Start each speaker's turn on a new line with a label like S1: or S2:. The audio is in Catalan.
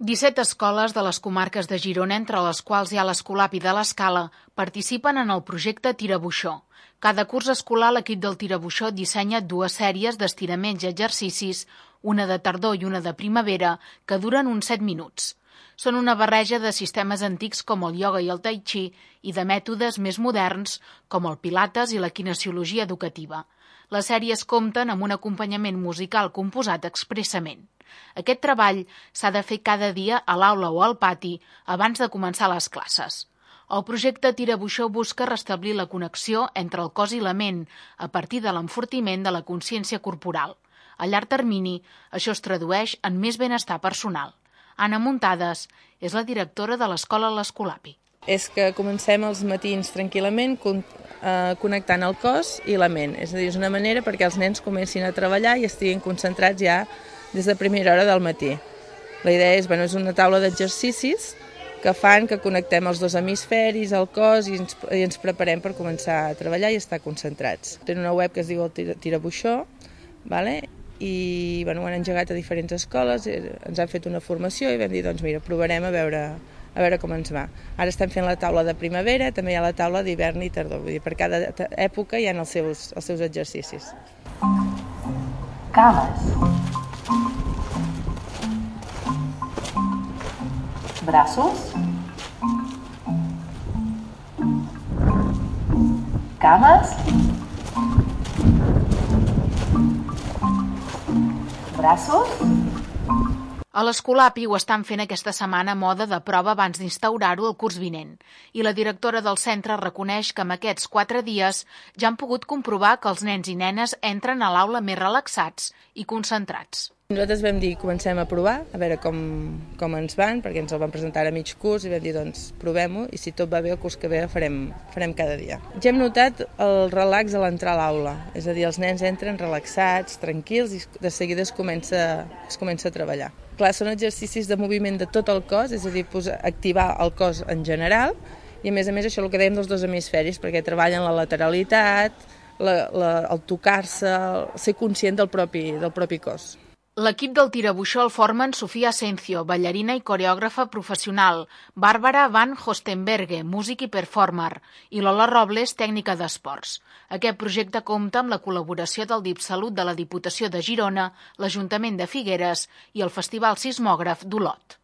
S1: 17 escoles de les comarques de Girona, entre les quals hi ha l'Escolapi de l'Escala, participen en el projecte Tirabuixó. Cada curs escolar l'equip del Tirabuixó dissenya 2 sèries d'estiraments i exercicis, una de tardor i una de primavera, que duren uns 7 minuts. Són una barreja de sistemes antics com el ioga i el tai chi i de mètodes més moderns com el pilates i la kinesiologia educativa. Les sèries compten amb un acompanyament musical composat expressament. Aquest treball s'ha de fer cada dia a l'aula o al pati abans de començar les classes. El projecte Tirabuixó busca restablir la connexió entre el cos i la ment a partir de l'enfortiment de la consciència corporal. A llarg termini, això es tradueix en més benestar personal. Anna Muntades és la directora de l'escola l'Escolapi.
S2: És que comencem els matins tranquil·lament connectant el cos i la ment. És a dir, és una manera perquè els nens comencin a treballar i estiguin concentrats ja des de primera hora del matí. La idea és una taula d'exercicis que fan que connectem els 2 hemisferis, el cos, i ens preparem per començar a treballar i estar concentrats. Tenen una web que es diu el Tirabuixó, i ho han engegat a diferents escoles, ens han fet una formació i vam dir, provarem a veure com ens va. Ara estem fent la taula de primavera, també hi ha la taula d'hivern i tardor, vull dir, per cada època hi ha els seus exercicis.
S3: Cames. Braços. Cames. Braços.
S1: A l'Escolapi ho estan fent aquesta setmana a moda de prova abans d'instaurar-ho el curs vinent. I la directora del centre reconeix que en aquests 4 dies ja han pogut comprovar que els nens i nenes entren a l'aula més relaxats i concentrats.
S2: Nosaltres vam dir, comencem a provar, a veure com ens van, perquè ens el van presentar a mig curs i vam dir, provem-ho, i si tot va bé el curs que ve farem cada dia. Ja hem notat el relax a l'entrar a l'aula, és a dir, els nens entren relaxats, tranquils, i de seguida es comença a treballar. Clar, són exercicis de moviment de tot el cos, és a dir, activar el cos en general, i a més això el que dèiem dels 2 hemisferis, perquè treballen la lateralitat, el tocar-se, ser conscient del propi cos.
S1: L'equip del Tirabuixó el formen Sofia Asencio, ballarina i coreògrafa professional, Bàrbara Van Hostenberge, músic i performer, i Lola Robles, tècnica d'esports. Aquest projecte compta amb la col·laboració del DIPSalut de la Diputació de Girona, l'Ajuntament de Figueres i el Festival Sismògraf d'Olot.